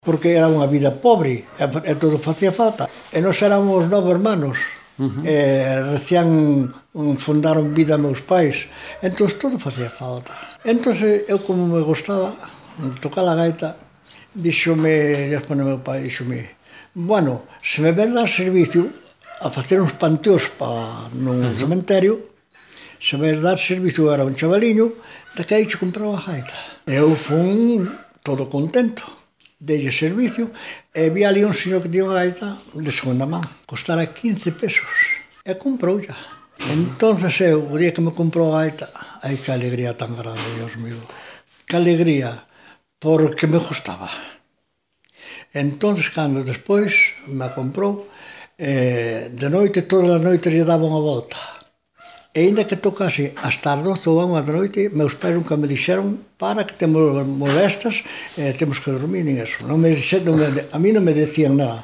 porque era unha vida pobre e todo facía falta. E nós éramos 9 hermanos, recién fundaron vida meus pais, entón todo facía falta. Entón eu, como me gustaba tocar a gaita, díxome, despois meu pai, díxome, bueno, se me ves dar servicio a facer uns panteóns nun cementerio, se me ves dar servicio, era un chavaliño, daquela che compraba a gaita. Eu fun todo contento, deille servicio, e vi ali un señor que tiña unha gaita de segunda man, costara 15 pesos, e comproulla. Entonces eu, o día que me comprou a gaita, ai, que alegría tan grande, Dios mío, que alegría, porque me gustaba. Entonces, cando despois me comprou, de noite, todas as noites lle daba unha volta. E ainda que tocase hasta as 12 ou a 1 da noite, meus pais nunca me dixeron para que temos molestas, temos que dormir, nin eso. A mí non me decían nada.